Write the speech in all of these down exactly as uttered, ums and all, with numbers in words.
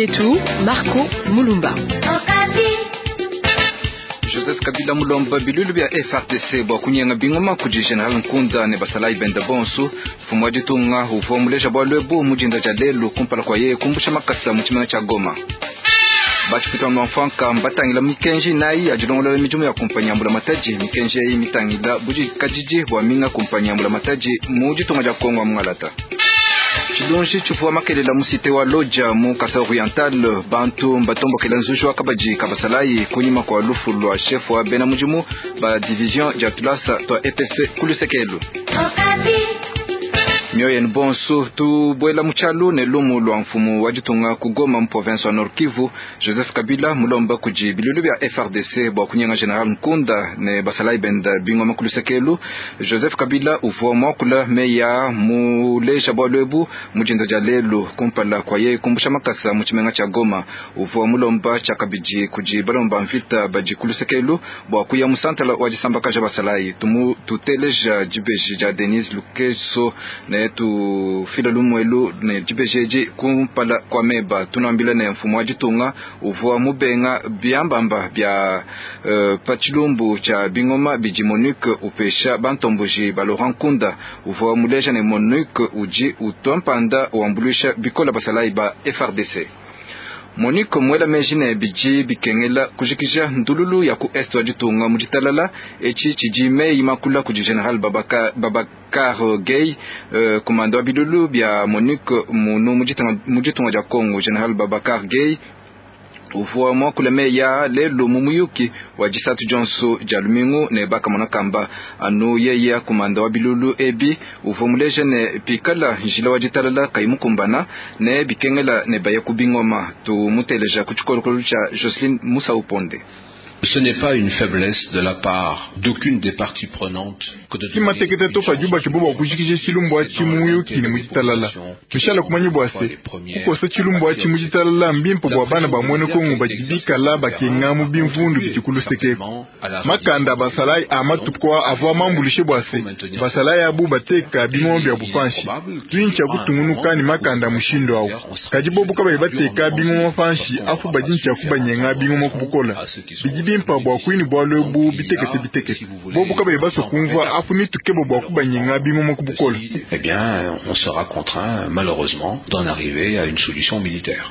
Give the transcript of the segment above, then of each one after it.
Bietu, Marco Mulumba. Joseph Kabila mulomba bilulu bya F R D C bwa kunyenga bingoma kudi General Nkunda ne basalayi benda bonso mfumu wa ditunga uvua muleja bua lwebu mujinda dia lelu kumpala kwa yeye kumbusha makasa mu tshimenga tshia Goma. Batshipita mfanka mbatangila mikenji nayi ya dilongolola midimu ya kumpanyi ya mbulamatadi. Mikenji eyi mitangila budikadidi bua minga kumpanyi ya mbulamatadi mu ditunga dia Kongo ya Mungalata. Tshilunji tshivua makelela mu cité wa Lodja mu Kasai Oriental, bantu mbatombokela nzuji wa kabadi kabasalayi kunyima kwa lufu lwa chef wa bena mudimu ba division dia tulasa twa E P S kulusekelu. Mioyo bonso tubuela muchalu ne lumu lwa mfumu wa ditunga ku Goma mu province wa Nord Kivu. Joseph Kabila mulomba kudi bilulu bya F R D C bua kunyenga General Nkunda ne basalayi benda bingoma kulusekelu. Joseph Kabila uvua mwakula meya muleja bua lwebu mujinda dia lelu kumpala kwa yeye kumbusha makasa mu tshimenga tshia Goma. Uvua mulomba tshiakabidi kudi balomba mvita badi kulusekelu bua kuya mu santala wa disambakaja basalayi. Tumu tuteleja dibeji dia Denise Lukeso ne tufila lumwelu ne dibejeji kumpala kwa meba. Tunambila ne mfumu wa ditunga uvua mubenga biambamba bya uh, pachilumbu cha bingoma bidi Monique upesha bantomboji ba Laurent Nkunda. Uvua muleja ne Monique uji utompanda wambulisha bikola basalayi ba F R D C. Monique mwela meji ne bidi bikengela kujikija ndululu ya ku est wa ditunga mu ditalala eci tshidi meyi makula kudi General Babaka, Babakar Gueye, uh, komanda wa bilulu bya Monique munu mu ditunga dia Congo. General Babakar Gueye uvua mwakula meya lelu mu muyuki wa disatu dionso dia lumingu ne bakamona kamba anu yeye komanda wa bilulu ebi uvua muleja ne pikala njila wa ditalala kayimukumbana ne bikengela ne baya kubingoma. Tumuteleja ku tshikolokolo tshia Jocelyn Musa Uponde. Ce n'est pas une faiblesse de la part d'aucune des parties prenantes que de kimatekete tofa juba kiboba kujikije chilumbu achi muyuki ne mujitalala tushala kumanyi bwase kukosa chilumbu achi mujitalala mbimpo bwa bana ba mwene Kongo bajibikala bakenga mu bimvundu bijikulusekeko makanda basalai amatukwa avwa mambulishe bwase basalai abu bateka bingombe ya bufanshi twincha kutungunuka ni makanda mushindo awo kajibobu kabayi bateka bingoma fanshi afu bajincha kubanyenga bingoma kubukola bijibi mpa bwa kwini bwa lwebu bitekete bitekete bobu kabayi baso kumva afu nitukebo bwa kubanyenga bingoma kubukola. Eh bien, on sera contraint malheureusement d'en arriver à une solution militaire.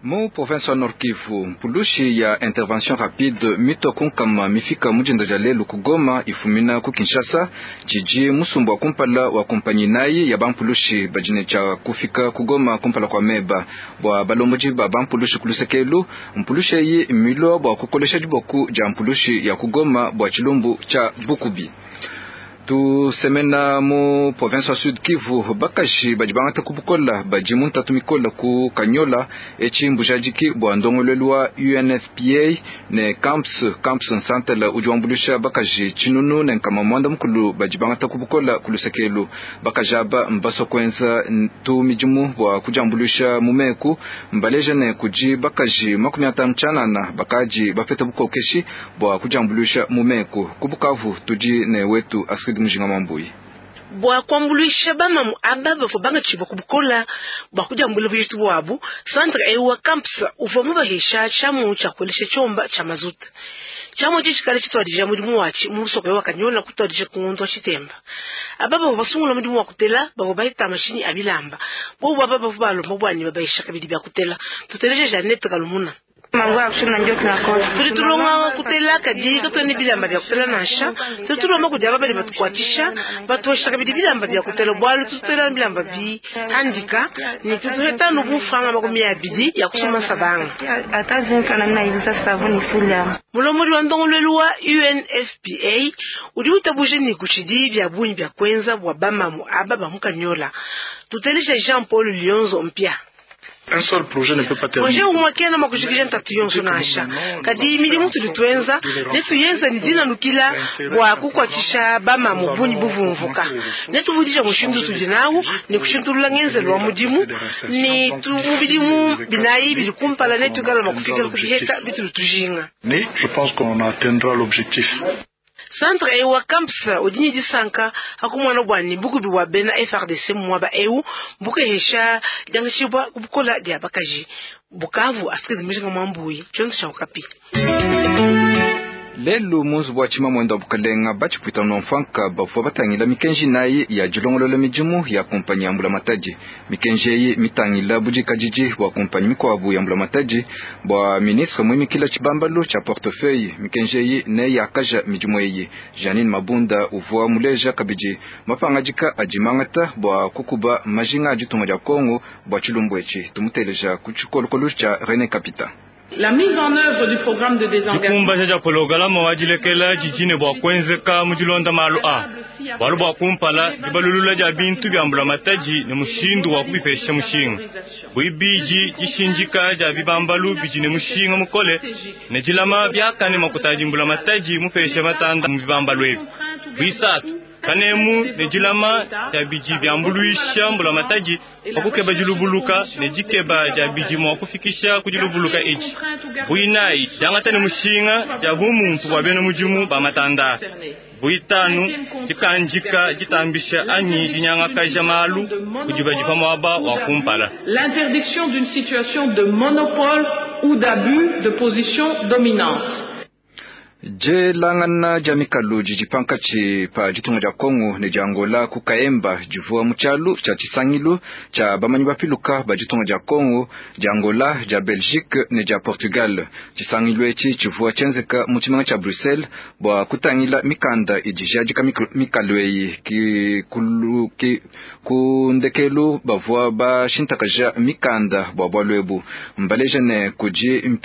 Mu province wa Nord Kivu, mpulushi ya intervention rapide mito kunkama mifika mujinda dia lelu ku Goma ifumina ku Kinshasa jiji musumbu wa kumpala wa kompanyi nayi ya bampulushi bajine cha kufika ku Goma kumpala kwa meba bwa balomboji ba bampulushi kulusekelu. Mpulushi eyi milo bwa kukolesha diboku dia mpulushi ya ku Goma bwa chilumbu cha Bukubi. Tusemena mu province wa Sud Kivu, bakaji badi bangata kubukola badi muntatu mikola ku Kanyola eci mbujadiki bua ndongoluelu wa U N F P A ne camps camps nsantela udi wambulisha bakaji tshinunu ne nkama mwanda mukulu badi bangata kubukola kulusekelu. Bakaji aba mbasua kuenza tu midimu bua kudiambulisha mu meku mbaleja ne kudi bakaji makumi atanu tshianana bakaji bapeta bukokeshi bua kudiambulisha mu meku. Ku Bukavu tudi ne wetu Astrid Mujinga Mambuyi. Bua kuambuluisha bamamu aba bavua bangatshibua kubukola bua kudiambula bujitu buabu, centre ewu wa campus uvua mubahesha tshiamu tshia kuelesha tshiomba tshia mazuta. Tshiamu etshi tshikale tshituadija mudimu watshi mu musoko wa Kanyola kutuadija ku ngondo wa Tshitemba. Aba bavua basungula mudimu wa kutela bavua bahita mashinyi a bilamba. Bobu aba bavua balomba bua ne babahesha kabidi bia kutela. Tuteleje Jeannette Kalumuna. Tuli tulonga kutela kadi katwene bilamba bya kutela nansha tuli tulomba kudi aba bali batukwatisha batuwesha kabidi bilamba bya kutela bwalu tutela bilamba bi handika ni tutuhetanu bufranga makumi abidi ya kusoma sabanga. Mulomoli wa ndongoluelu wa U N F P A udi utabuje ni kuchidi bya bunyi bya kwenza bwa bamamu aba ba mukanyola. Tutelisha Jean Paul Lionzo mpya. Un seul projet ne peut pas terminer. Projet umwe kena makushikisha ntatu yonso nansha. Kadi milimu tuli tuenza, netu yenza ni dina nukila bwa kukwatisha bama mubunyi buvumvuka. Netu vudisha mushindu tudinawu ni kushintulula ngenzelo wa mudimu ni tumubidimu binayi bili kumpala netu kala makufika kuheta bitu tujinga. Mais je pense qu'on atteindra l'objectif. Centre eu wa Camps udi ne disanka akumona bua ne bukubi bua bena F R D C mu muaba eu bukehesha diangatshibua ku bukola dia bakaji. Bukavu Astrid Mujinga Mwambuyi tshiondo tshia Okapi. Lelu mu nzubu wa tshimamwenda wa bukalenga batshipwita nomfanka bavua batangila mikenji nayi ya dilongolola midimu ya kompanyi ya mbulamatadi. Mikenji eyi mitangila budikadidi bua kompanyi mikuabu ya mbulamatadi bua ministre muimikila tshibambalu tshia portefeuille. Mikenji eyi ne yakaja midimu eyi. Janine Mabunda uvua muleja kabidi mapangadika adi mangata bua kukuba majinga a ditunga dia Kongo bua tshilumbu etshi. Tumuteleja ku tshikolokolo tshia René Kapita. La mise en œuvre du programme de désengagement. Dikumbaja dia pologalamu wa dilekela didi bua kuenzeka mu dilonda malu a bualu bua kumpala dibalulula dia bintu bia mbulamatadi ne mushindu wa kubipesha mushinga buibidi dishindika dia bibambalu bidi ne mushinga mukole ne dilama biakane makuta adi mbulamatadi mupesha matanda mu bibambalu ebi buisatu kanemu ne dilama dia bidi biambuluisha mbulamatadi pa kukeba dilubuluka ne dikeba dia bidi mua kufikisha ku dilubuluka edi buinayi diangata ne mushinga dia bumuntu bua bena mudimu ba matanda buitanu dikandika ditambisha anyi dinyangakaja malu kudi badi pa muaba wa kumpala. L'interdiction d'une situation de monopole ou d'abus de position dominante. Jelangana dia mikalu didi pankatshi pa ditunga dia Kongo ne dia Angola ku Kaemba divua mu tshialu tshia tshisangilu tshia bamanyi bapiluka ba ditunga dia Kongo, dia Angola, dia Belgique ne dia Portugal. Tshisangilu etshi tshivua tshienzeka mu tshimenga tshia Bruxelles bua kutangila mikanda idi jadika mikalu eyi ki kulu ki ku ndekelu bavua bashintakaja mikanda bua bualu ebu. Mbaleja ne kudi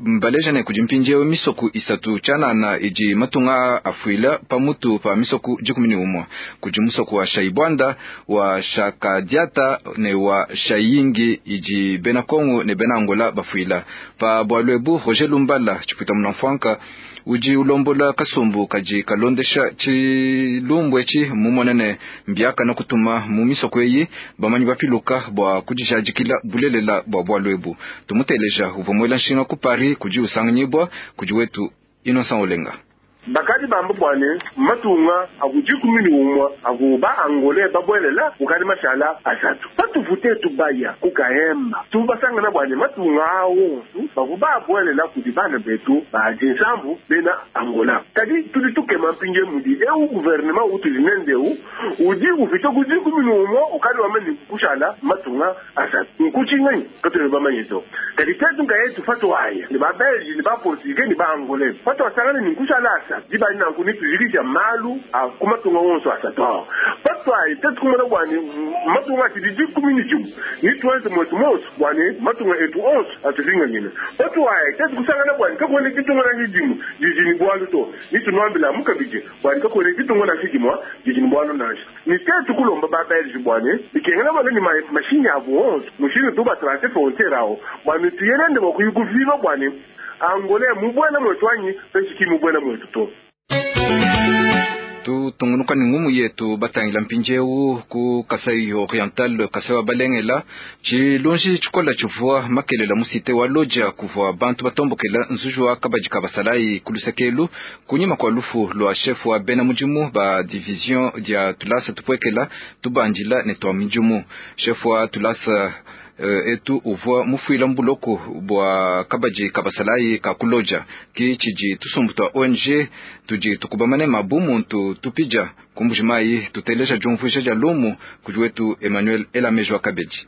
mbaleja ne kudi mpindieu misoku isatu tshianana idi matunga afuila pamutu pa misoku dikumi ne umue kudi musoku wa Shaibwanda wa Shakadiata ne wa Shayingi idi bena Kongo ne bena Angola bafuila pa bualu ebu. Roger Lumbala tshipwita munamfwanka udi ulombola kasumbu kadi kalondesha tshilumbu etshi mumone ne mbiakana kutuma mu misoko eyi bamanyi bapiluka bua kudijadikila bulelela bua bualu ebu. Tumuteleja uvua muela nshinga ku Paris kudi usanganyibwa kudi wetu Innocent Olenga. Bakadi bamba bwane matunga akujikumi ni umwa akuba Angole babwelela ukali mashala asatu patuvute tubaya kukahemba tubasangana bwane matunga awo bakuba abwelela kudi bana betu bajinsambu bena Angola kadi tudi tukema mpinje mudi eu gouvernement utulinendeu udi ufite kujikumi ni umwa ukali wameni kushala matunga asatu nkuchinganyi katwe bamanyizo kadi tetu ngayetu fatu haya ni ba Belge ni ba Portugais ni ba Angole fatu asangana ni kushala asatu dibali nanku nitujikisha malu akumatunga wonso asatu patwayi tetukumona bwani matunga atidi dikumi ni jimu nituenze mwetu monso bwani matunga etu onso atufinganyina patwayi tetukusangana bwani kakuene ditunga na jimu jijini bwalu to nitunuambila mukabije bwani kakuene ditunga na jimwa jijini bwalu nansha nitetukulomba ba Belge bwani bikengela bwana ni mashini abo onso mushindu tubatrase frontiere awo bwani tuyenende bwakuyikuviva bwani Angole mubwena mwetu anyi peshiki mubwena mwetu to. Tutungunuka ni ngumu yetu batangila mpindieu ku Kasai Oriental Kasai wa Balengela tshilunji tshikola tshivua makelela musite wa loja kuvua bantu batombokela nzuju wa kabadi ka basalayi kulusekelu kunyima kwa lufu lwa chef wa bena mudimu ba division dia tulasa tupwekela tubandila ne twa midimu. Chef wa tulasa Uh, etu uvua mufuila mbuloko bua kabadi kabasalayi ka kuloja ki tshidi tusumbu tua O N G tudi tukubamane mabu muntu tupija kumbujimayi tuteleja diumvuija dia lumu kudi wetu Emmanuel Elamejo Kabedi.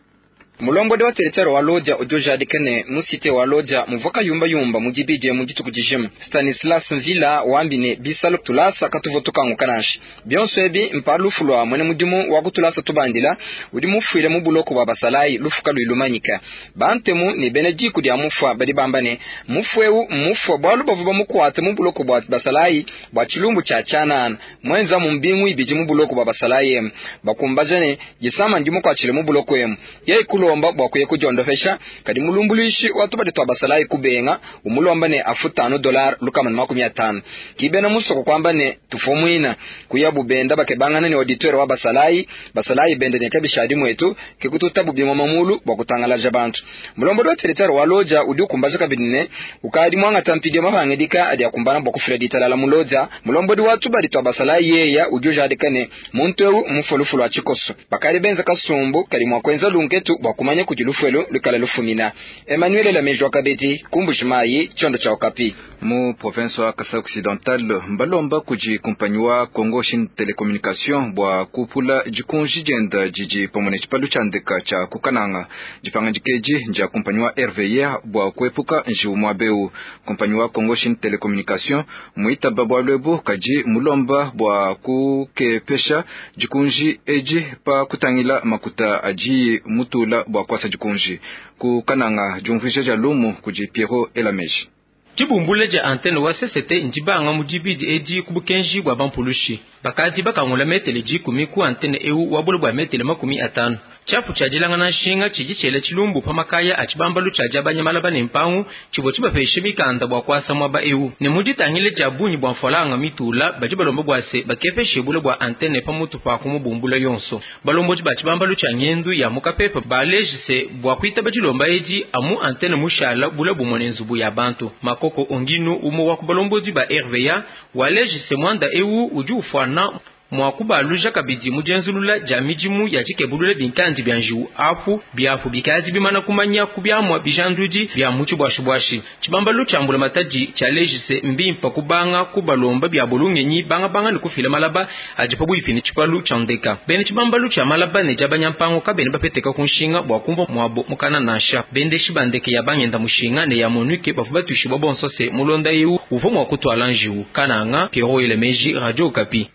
Mulombodi wa teritwari wa Lodja udi ujadika musite wa Lodja muvua yumba mudibidie mu dituku dijima. Stanislas Mvila wambine bisalo tulasa katuvo tukanguka nansha bionso ebi mpa lufu lua mwene mudimu wa kutulasa tubandila udi mufuile mu buloko bua basalayi lufu kalui lumanyika. Bantemu ne bena diku dia mufua badi bamba ne mufu eu mufua bualu bavua bamukuate mu buloko bua basalayi bua tshilumbu tshia tshianana mwenza mu mbingu ibidi mu buloko bua basalayi emu bakumbaja ne disama ndimukuatshile mu buloko emu yeye kulo Kumulomba bua kuya kudiondopesha kadi mulumbuluishi wa tubadi twa basalayi kubenga umulomba ne afutano dollar lukama na makumi atano. Kibena musoko kwamba ne tufomwina kuya bubenda bakebangana ne auditeur wa basalayi basalayi bende ne kabishadi mwetu kikututa bubimwa mamulu bua kutangalaja bantu. Mulombodi wa territoire wa Lodja udi ukumbaja kabidi ne ukadi mwangata mpidio mapangidika adi akumbana bua kufila ditalala mu Lodja. Mulombodi wa tubadi twa basalayi yeya udi ujadika ne muntu ewu mufulufulu wa tshikoso bakali benza kasumbu kali mwa kwenza lunketu bua kumanya kudi lufuelo lukala lufumina. Emmanuel Lamejwa Kabedi Kumbujimayi chondo cha Okapi. Mu province wa Kasai Occidental mbalomba kudi kumpanyi wa Congo Chine Telecommunication bua kupula dikunji dienda didi pamue ne tshipalu tshia ndeka tshia kukananga. Dipanga dikeji ndia kumpanyi wa R V A bua kuepuka njiwu muabeu. Kumpanyi wa Congo Chine Telecommunication muitaba bualu ebu kadi mulomba bua kukepesha dikunji edi pa kutangila makuta adi mutula bua kuasa dikunji. Kukananga diumvuija dia lumu kudi Pierrot Elameji. Dibumbula dia antenne wa C C T ndibanga mu dibidi edi ku bukenji bua bampulushi. Bakadi bakangula metele dikumi ku antenne ewu wa bule bua metele makumi atanu. Tshiapu tshia dilangana nshinga tshidi tshiela tshilumbu pa makaya a tshibambalu tshia diabanya malaba ne mpangu tshivua tshibapeshe mikanda bua kuasa muaba ewu. Ne mu ditangile dia bungi bua mfalanga mitula badi balomba bua se bakepeshe bule bua antenne pa mutu pa kumubumbula yonso. Balombodi ba tshibambalu tshia ngendu ya mukapepa balejise bua kuitaba dilomba edi amu antenne mushala bule bumue ne nzubu ya bantu. Makoko onginu umo wa kubalombodi ba R V A walejise mwanda ewu udi ufuana mwa kubaluja kabidi mujenzulula ja mijimu ya chikebulula binkandi bya njiwu apu byapu bikazi bimana kumanya kubyamwa bijandudi bya muchi bwashi bwashi. Chibambalu chambula matadi cha lejise mbimpa kubanga kubalomba bya bulungenyi banga banga ni kufila malaba ajipa buipini chipalu chandeka. Bene chibambalu cha malaba ne jabanya mpango kabene bapeteka kunshinga bwa kumva mwabo mukana nasha. Bende shibandeke ya bangenda mushinga ne ya monuke bavuba tushiba bonsose mulonda yewu uvo mwa kutwala njiwu. Kananga Pierrot Elemeji Radio Okapi.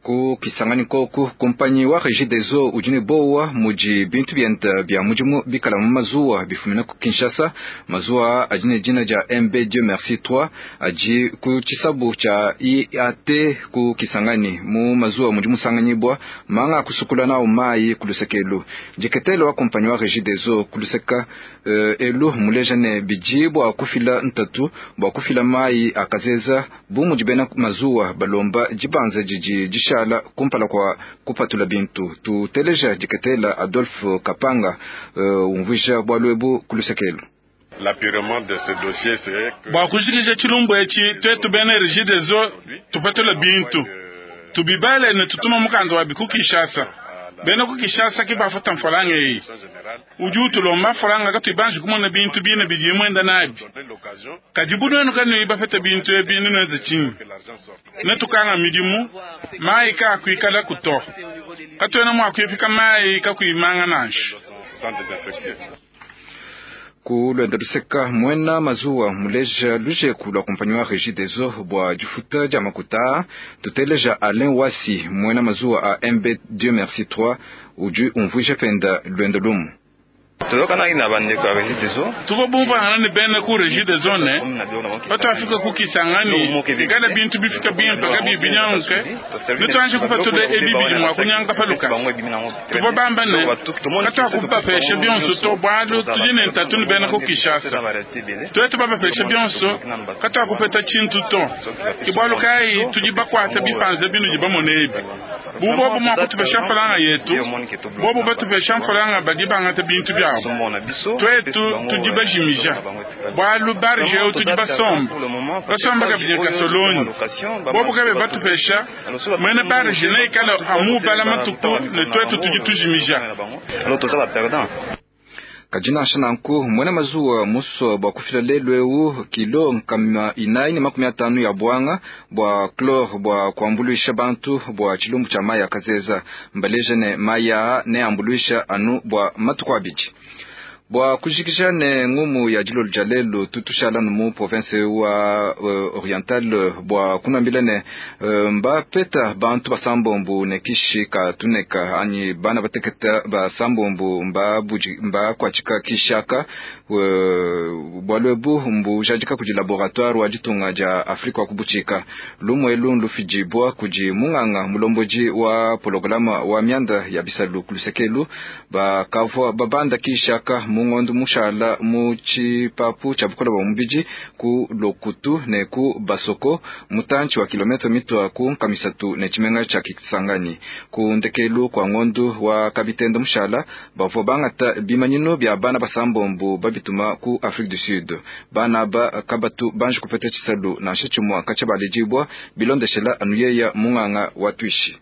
Ku Kisangani koku kumpanyi wa Regideso udi ne bowa mudi bintu bienda bya mudimu bikala mu mazuwa bifumina ku Kinshasa. Mazuwa adi ne dina dia M B Dieu Merci trois adi ku tshisabu tshia I A T ku Kisangani. Mu mazuwa mudi musanganyibwa manga kusukula nawo mayi ku lusekelo. Diketelo wa kumpanyi wa Regideso ku luseka uh, elu muleja ne bidi bua kufila ntatu bua kufila mayi akazeza bu mudi bena mazuwa balomba dibanza didi dishala kumpala kwa kupatula bintu. Tuteleja diketela Adolphe Kapanga uh, umvuija bualu ebu ku lusekelo. Bua kujikija tshilumbu etshi twetu bena Regideso tupatula bintu tubibale ne tutuma mukanda wa biku Kinshasa. Bena ku Kinshasa ki bafuta mfalanga eyi udi utulomba mfalanga katuibanji kumona bintu bine bidi mwenda nabi kadi bunwenu kanu bafeta bintu ebi ninweze chinyi netukanga midimu mayi kakuikala kuto katuena mwakuifika mayi kakuimanga nansha. Ku lwenda luseka mwena mazuwa muleja lujeku lwa kumpanyi wa Regideso bua difuta dia makuta. Tuteleja Alain Wasi mwena mazuwa a M B Dieu Merci trois udi umvuija penda lwenda lumu. Tuko bumvangana ne bena ku Regideso ne batwafika ku Kisangani ikala bintu bifika bimpe kabi binyanke nitwanje kupatula ebi bidi mwa kunyanga paluka tuvo bamba ne katwakupapesha bionso to bwalu tudi ne ntatu ne bena ku Kinshasa twetu bapapesha bionso katwakupeta tshintu to kibwalu kayi tudi bakwata bipanze binu di bamone ebi bubobo mwa kutupesha mfalanga yetu bobo batupesha mfalanga badi bangata bintu byabo twetu tudi bajimija bwalu barge tudi basomba basomba kabidi kasoloni bobo kabe batupesha mwene barge ne ikala amu bala matuku ne twetu tudi tujimija. Kadina nanku mwena mazuwa muso bua kufila lelu ewu kilo nkama inayi ne makumi atanu ya bwanga bua chlore bua kuambuluisha bantu bua tshilumbu tshia mayi akazeza mbaleja ne mayi ne ambuluisha anu bua matuku abidi. Bua kujikija ne ngumu ya dilolo dia lelu, tutushala mu province wa uh, Oriental bua kunambila ne uh, mbapeta bantu basambombu ne kishi ka tuneka anyi bana bateketa basambombu mbakuatshika kishaka uh, bualu ebu mbujadika kudi laboratoire wa ditunga dia Afrika wa kubuchika. Lumu elu lufidibua kudi munganga mulombodi wa polograma wa mianda ya bisalu kulusekelu bakavua babanda kishaka mungondo mushala mu tshipapu tshia bukola bwa mubidi ku Lokutu ne ku Basoko mutantshi wa kilometre mitwa ku nkamisatu ne tshimenga tshia Kisangani. Ku ndekelu kwa ngondu wa kabitenda mushala bavua bangata bimanyinu bia bana basambombu babituma ku Afrique du Sud. Bana ba kabatu banji kupeta tshisalu nansha tshimua katshia baledibua bilondeshela anuyeya munganga wa tuishi.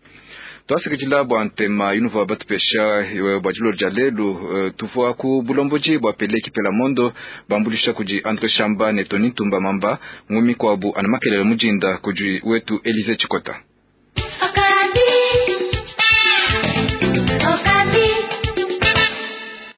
Twasikidila bua ntema yunuvua batupesha bua dilolo dia lelu, tuvua ku bulomboji bua Pele Kipela Mondo bambulisha kudi Andre Shamba ne Tony Ntumba Mamba ngumi kwabu ana makelele mujinda kudi wetu Elize Chikota.